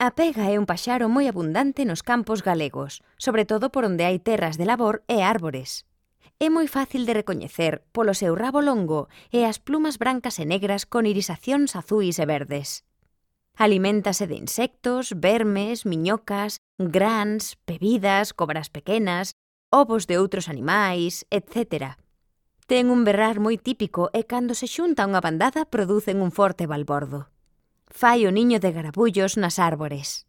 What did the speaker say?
A pega é un paxaro moi abundante nos campos galegos, sobre todo por onde hai terras de labor e árbores. É moi fácil de recoñecer polo seu rabo longo e as plumas brancas e negras con irisacións azuis e verdes. Aliméntase de insectos, vermes, miñocas, grans, pebidas, cobras pequenas, ovos de outros animais, etc. Ten un berrar moi típico e cando se xunta unha bandada producen un forte balbordo. Fai o niño de garabullos nas árbores.